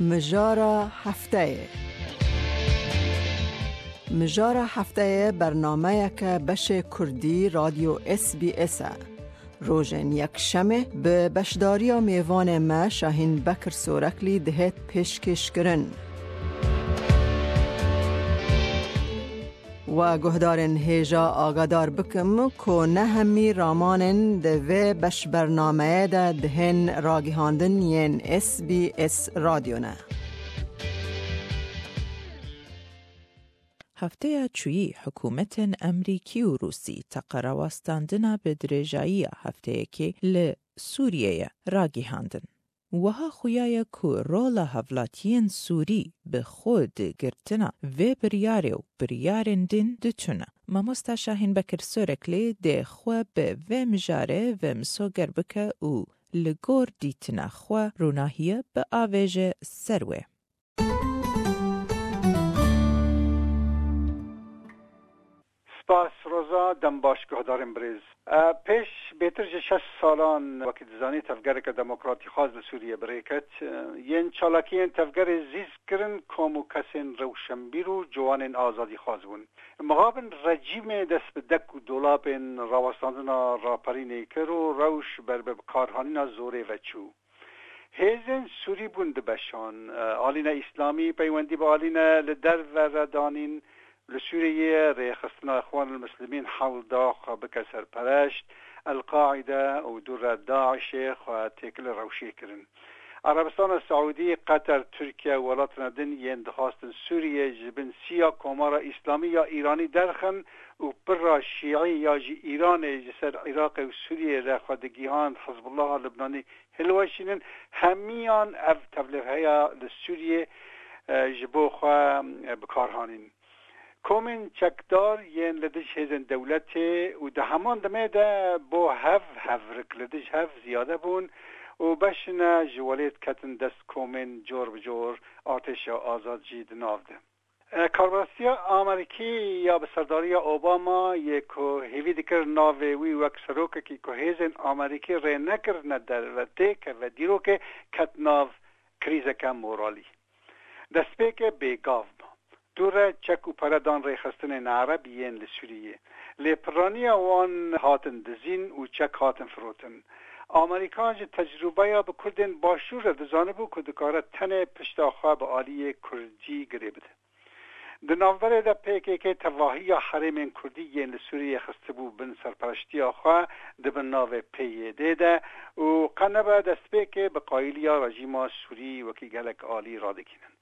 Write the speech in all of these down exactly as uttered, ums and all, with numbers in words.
Mijara hefteyê. Mijara hefteyê bernameyeke beşê Kurdî Radyo S B S e. Rojên Yekşemê bi beşdariya mêvanê me Şahîn Bekir Soreklî dihêt pêşkêşkirin. We guhdarên hêja agadar bikim ku ne hemî ramanên di vê beşbernameyê de dihên ragihandin yên S B S Radyo ne. Hefteya çûyî hikûmetên Emerîkî û Rûsî teqe rawestandina bi dirêjayiya hefteyekê li Sûriyeyê ragihandin. Wiha xuya ye ku rola hevlatiyên Sûrî bi xwe di girtina vê biryarê û biryarên din diçûne. Mamosta Şahîn Bekir Soreklê dê xwe bi vê mijarê ve misoger bike û li gor dîtina xwe rûnahiye biavêje ser wê. Spas Roza, dem baş guhdarên birêz. E, pêş bêtir ji şeş salan, wekî dizanî, tevgereke demokratîxwaz li Sûriyê bi rê ket. E, yên çalakiyên tevgerê zîz kirin, kom û kesên rewşenbîr û ciwanên azadîxwaz bûn. Mixabin rejîmê dest bi dek û dolabên rawestandina raperînê kir û rewş ber bi bikarhanîna zorê ve çû. Hêzên Sûrî bûn di beşan. Alîne Îslamî peywendî bi alîne li derve re danîn. Li Sûriyeyê rêxistina Îxwanul Muslimîn hewl da xwe bike serpereşt, El-Qaîde û dû re DAIŞê xwe têkilî rewşê kirin. Erebistana Seûdî, Qeter, Tirkiye û welatine din yên dixwastin Sûriyê ji bin siya Komara Îslamî ya Îranî derxin û pira Şîî ya ji Îranê ji ser Iraqê û Sûriyê re xwe digihand Hizbullaha Libnanî hilweşînin, hemiyan ev tevlîheya li Sûriyê, e, ji bo xwe, e, bi kar hanîn. Komên çekdar yên li dij hêzên dewletê û di heman demê de bo hev hevrik li dij hev ziyade bûn û beşine ji welêt ketin dest komên cor bi cor artêşa azad jî di nav de. E, Karbastiya Amerîkî ya bi serdariya Obama yê ku hêvî dikir navê wî wek serokekî ku hêzên Amerîkî rê nekirine derve têkeve dîrokê, ket nav krîzeke moralî. Destpêkê bêgav bû. Dû re çek û pere dan rêxistinên Ereb yên li Sûriyê. Lê piraniya wan hatin dizîn û çek hatin firotin. Amerîka ji tecrûbeya bi Kurdên Başûr re dizanibû ku dikare tenê pişta xwe bi aliyê Kurdî girê bide. Di navberê de P K K tevahiya herêmên Kurdî yên li Sûriyê xistibû bin serpereştiya xwe di bin navê P Y D de û qe nebe destpêkê bi qayîliya rejîma Sûrî wekî gelek alî radikînin.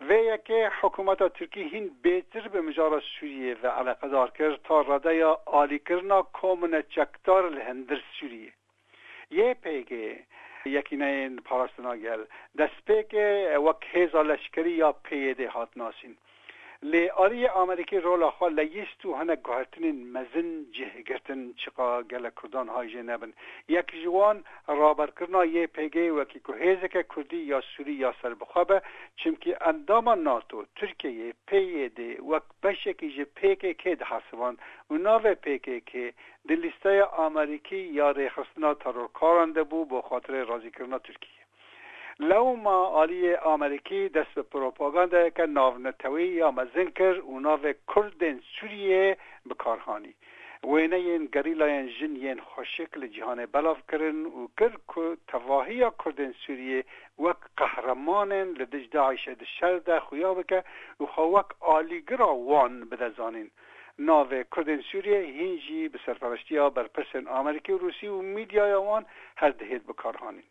Vê yekê hikûmeta Tirkî hîn bêtir bi mijara Sûriyê ve eleqedar kir ta radeya alîkirina komine çekdar li hundir Sûriyê. Y P G, Yekîneyên Parastina Gel, destpêkê wek hêza leşkerî ya P Y D hat nasîn. Lê aliyê Amerîkî rola xwe leyîst û hinek guhertinên mezin cih girtin, çiqa gelek Kurdan hay jê nebin. Yek ji wan raberkirina Y P G wekî ku hêzeke Kurdî ya Sûrî ya serbixwe be, çimkî endama NATO, Tirkiyeyê, P Y D wek beşekî ji P K K dihesiband û navê P K K di lîsteya Amerîkî ya rêxistina terorkaran de bû bo xatirê razîkirina Tirkiyê. Lewma aliyê Amerîkî dest bi propagandayeke navneteweyî ya mezin kir û navê Kurdên Sûriyê bi kar hanî. Wêneyên gerîlayên jin yên xweşik li cîhanê belav kirin û kir ku tevahiya Kurdên Sûriyê wek qehremanên li dij DAIŞê di şer de xuya bike û xwe wek alîgira wan bide zanîn. Navê Kurdên Sûriyê hîn jî bi serpereştiya berpirsên Amerîkî û Rûsî û mîdyaya wan her dihêt bikarhanîn.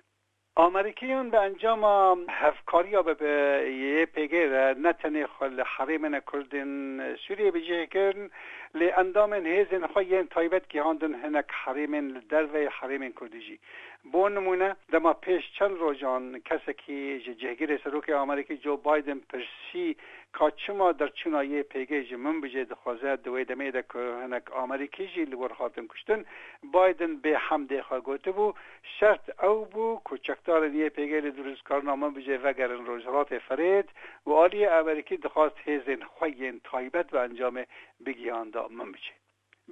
Amerîkiyan bi encama hevkariya bi, bi Y P G re ne tenê xwe li herêmên Kurdên Sûriyê bi cih kirin, lê endamên hêzên xwe yên taybet gihandin hinek herêmên li derveyê herêmên Kurdî jî. Bo nimûne, dema pêş çend rojan kesekî ji cihgirê Serokê Amerîkî Joe Biden pirsî ka çima derçûna Y P G ji min bijê dixwaze, di wê demê de ku hinek Amerîkî jî li wir hatin kuştin, Biden bê hemdê xwe gotibû, şert ew bû ku çekdarên Y P G li dirûstkarina min bijê vegerin Rojhilatê Firêt û aliyê Amerîkî dixwast hêzên xwe yên taybet bi encamê bigihanda min bijê.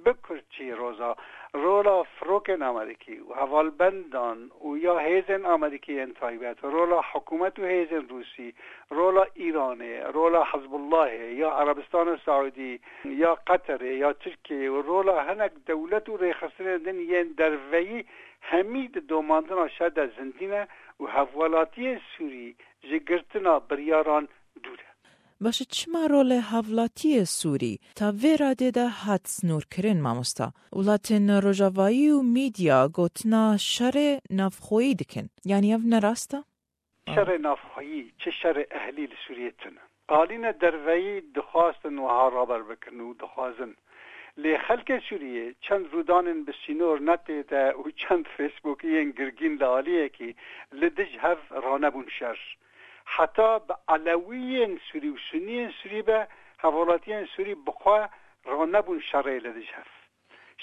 Bi kurtçî, Roza, rola firokên Amerîkî û hevalbendan û ya hêzên Amerîkî yên taybet, rola hikûmet û hêzên Rûsî, rola Îranê, rola Hizbullahê, ya Erebistana Saûdî, ya Qeterê, ya Tirkiyeyê û rola hinek dewlet û rêxistinên din yên derveyî, hemî di domandina şer de zindî ne û hevwelatiyê Sûrî ji girtina biryaran dûr e. Baş e, çima rolê hevlatiyê Sûrî ta vê radê de hat sînorkirin, mamosta? Welatên Rojavayî û medya gotina şerê navxweyî dikin. Yanî ev ne rast e? Şerê navxweyî, çi şerê ehlî li Sûriyê tune. Alîne derveyî dixwastin wiha raber bikin û dixwazin. Lê xelkê Sûriyê çend rûdanên bi sînor netê de û çend Facebookiyên girgîn li aliyekî li dij hev ranebûn şer. Heta bi Elewiyên Sûrî û Suniyên Sûrî be, hevwelatiyên Sûrî bi xwe ranebûn şerê li dij hev.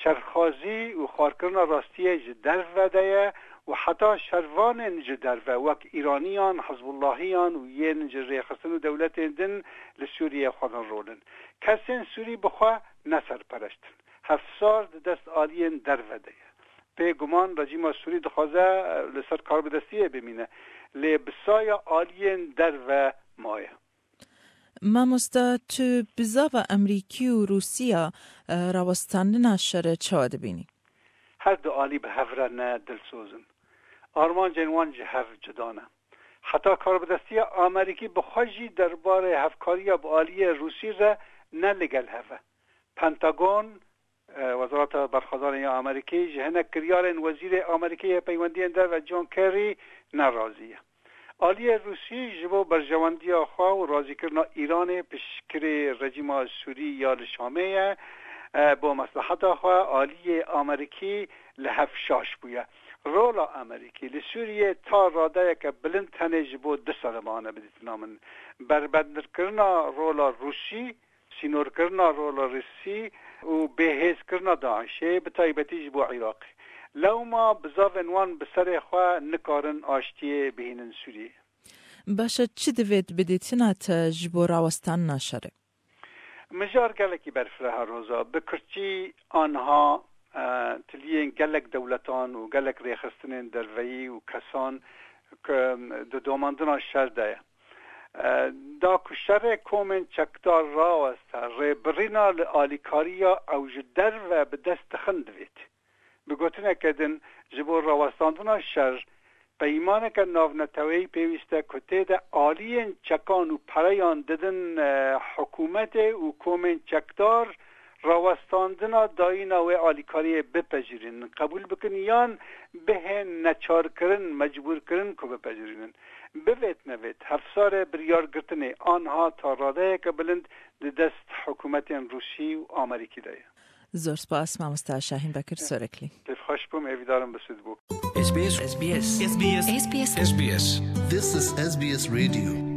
Şerxwazî û xwarkirina rastiyê ji derve de ye û heta şervanên ji derve, wek Îraniyan, Hizbullahiyan û yên ji rêxistin û dewletên din li Sûriyê xwe din rolin. Kesên Sûrî bi xwe ne serpereşt in. Hevsar di dest aliyên derve de ye. Bêguman rejîma Sûrî dixwaze, e, li ser karbidestiyê bimîne. Lê bi saya aliyên derve maye. Mamosta, tu bizava Amerîkî û Rûsiya, e, rawestandina şerê çawa dibînî? Her du alî bi hev re ne dilsoz in. Armancên wan ji hev cuda ne. Heta karbidestiya Amerîkî bi xwe jî derbarê hevkariya bi aliyê Rûsî re ne li gel hev e. Pentagon, e, Wezareta Berxwedanê ya Amerîkî ji hinek kiryarên Wezîrê Amerîkî yê Peywendiyên Derve John Kerry ne razî ye. Aliyê Rûsî ji bo berjewendiya xwe û razîkirina Îranê piştgirê rejîma Sûrî ya li Şamê ye, e, bo mesleheta xwe aliyê Amerîkî li hev şaş bûye. Rola Amerîkî li Sûriyê ta radeyeke bilind tenê ji bo du sal e, mane bidîtina min. Berbendkirina rola Rûsî, sînorkirina rola Rûsî û bêhêzkirina DAIŞê, bi taybetî ji bo Iraqê. Lewma bizavên wan bi serê xwe nikarin aştiyê bihînin Sûriyê. Baş e, çi divêt bidîtina te ji bo rawestandina şerê? Mijar gelekî berfireh e, Roza. Bi kurtçî, anha, e, tiliyên gelek dewletan û gelek rêxistinên derveyî û kesan ku di domandina şer de ye. E, da ku şerê komên çekdar raweste, rêbirîna li alîkariya ew ji derve bi dest dixin divêt. Bi gotineke din, ji bo rawestandina şer, peymaneke navneteweyî pêwîst e ku tê de aliyên çekan û pereyan didin, e, hikûmetê û komên çekdar rawestandina dayîna wê alîkariyê bipejirînin, qebûl bikin yan bihên neçarkirin, mecbûrkirin ku bipejirînin. Bivêt nevêt, hevsarê biryargirtinê anha ta radeyeke bilind di dest hikûmetên Rûsî û Amerîkî de ye. Zor spas, mamosta Şahîn Bekir Soreklî. Kêfxweş bûm, hêvîdarim bi sûd bû. S B S. S B S. S B S. S B S. S B S. This is S B S Radio.